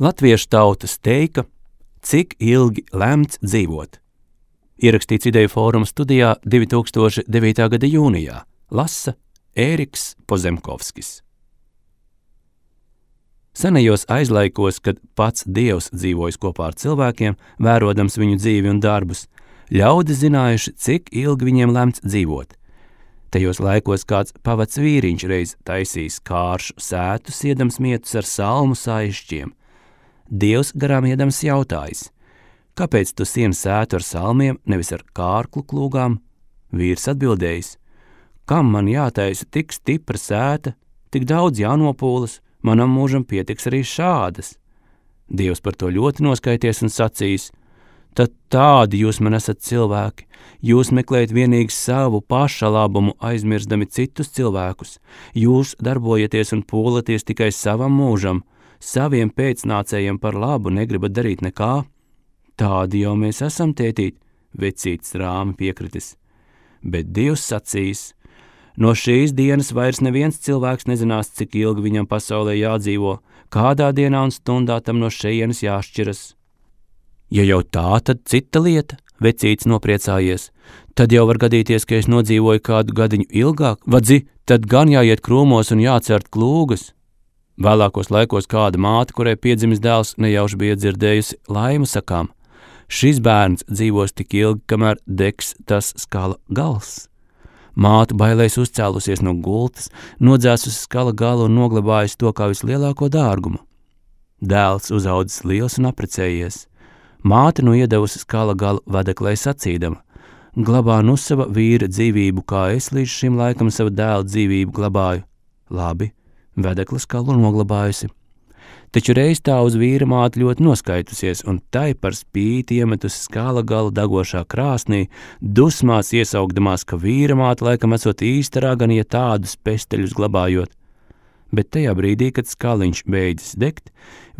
Latviešu tauta steika, cik ilgi lemts dzīvot. Ierakstīts Ideju fóruma studijā 2009. gada jūnijā. Lasa Ēriks Pozemkovskis. Senajos aizlaikos, kad pats Dievs dzīvojis kopā ar cilvēkiem, vērodams viņu dzīvi un darbus, ļaudi zinājuši, cik ilgi viņiem lemts dzīvot. Tajos laikos kāds pavads vīriņš reiz taisīs kāršu sētu, siedams mietus ar salmu saišķiem. Dievs garām iedams jautājis: kāpēc tu sieni sētu ar salmiem, nevis ar kārklu klūgām? Vīrs atbildējis: kam man jātaisa tik stipra sēta, tik daudz jānopūlas, manam mūžam pietiks arī šādas. Dievs par to ļoti noskaities un sacīs: tad tādi jūs man esat cilvēki, jūs meklējat vienīgi savu paša labumu, aizmirstami citus cilvēkus, jūs darbojaties un pūlaties tikai savam mūžam, saviem pēcnācējiem par labu negribat darīt nekā. Tādi jau mēs esam, tētīt, vecītis rāmi piekritis. Bet Dievs sacīs: no šīs dienas vairs neviens cilvēks nezinās, cik ilgi viņam pasaulē jādzīvo, kādā dienā un stundā tam no šejienes jāšķiras. Ja jau tā, tad cita lieta, vecītis nopriecājies. Tad jau var gadīties, ka es nodzīvoju kādu gadiņu ilgāk, vadzi, tad gan jāiet krūmos un jācert klūgas. Vēlākos laikos kāda māte, kurai piedzimis dēls, nejauši bija dzirdējusi laimu sakām: šis bērns dzīvos tik ilgi, kamēr degs tas skala gals. Māte bailēs uzcēlusies no gultas, nodzēsusi skala galu un noglabājusi to kā vislielāko dārgumu. Dēls uzaudzis liels un apprecējies. Māte nu iedevusi skala galu vedeklai sacīdama: glabā nu sava vīra dzīvību, kā es līdz šim laikam savu dēlu dzīvību glabāju. Labi, vedekla skalu noglabājusi. Taču reiz tā uz vīra māte ļoti noskaitusies, un tai par spīti iemetusi skala galu dagošā krāsnī, dusmās iesaugdamās, ka vīra māte laikam esot īsta ragana, ja tādus pesteļus glabājot. Bet tajā brīdī, kad skaliņš beidzis degt,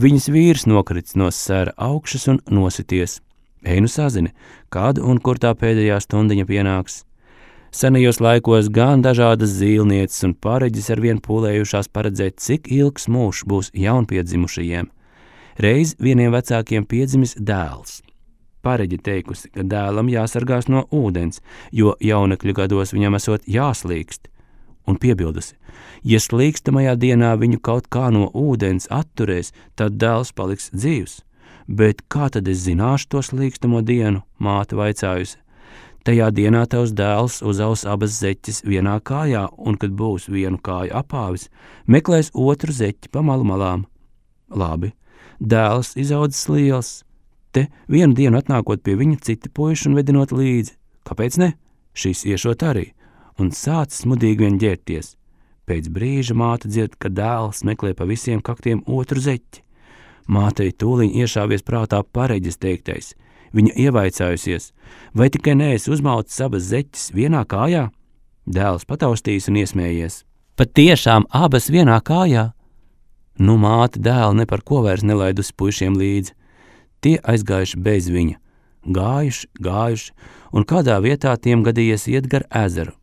viņas vīrs nokrits no sēra augšas un nosities. Ej nu sazini, kad un kur tā pēdējā stundiņa pienāks. Senajos laikos gan dažādas zīlnieces un pareģis arvien pūlējušās paredzēt, cik ilgs mūžs būs jaunpiedzimušajiem. Reiz vieniem vecākiem piedzimis dēls. Pareģi teikusi, ka dēlam jāsargās no ūdens, jo jaunekļu gados viņam esot jāslīkst. Un piebildusi: ja slīkstamajā dienā viņu kaut kā no ūdens atturēs, tad dēls paliks dzīvs. Bet kā tad es zināšu to slīkstamo dienu, māte vaicājusi. Tajā dienā tavs dēls uzaus abas zeķes vienā kājā, un, kad būs vienu kāju apāvis, meklēs otru zeķi pa malu malām. Labi, dēls izaudzis liels. Te vienu dienu atnākot pie viņa citi puiši un vedinot līdzi. Kāpēc ne? Šis iešot arī. Un sācis smudīgi vien ģērties. Pēc brīža māte dzird, ka dēls meklē pa visiem kaktiem otru zeķi. Mātei tūliņ iešāvies prātā pareģis teiktais. Viņa ievaicājusies: vai tikai neesi uzmaucis abas zeķes vienā kājā? Dēls pataustījis un iesmējies: pat tiešām abas vienā kājā? Nu māte dēlu ne par ko vairs nelaidusi puišiem līdzi. Tie aizgājuši bez viņa. Gājuši, un kādā vietā tiem gadījies iet gar ezeru.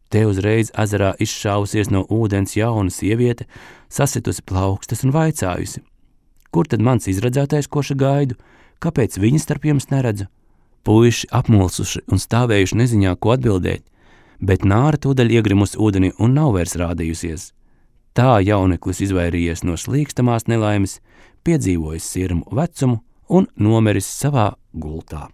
Te uzreiz ezerā izšāvusies no ūdens jauna sieviete, sasitusi plaukstas un vaicājusi: kur tad mans izredzētais, koša gaidu? Kāpēc viņi starp jums neredzu? Puiši apmulsuši un stāvējuši neziņā, ko atbildēt, bet nāra tūdaļ iegrimusi ūdenī un nav vairs rādījusies. Tā jauneklis izvairījies no slīkstamās nelaimes, piedzīvojis sirmu vecumu un nomiris savā gultā.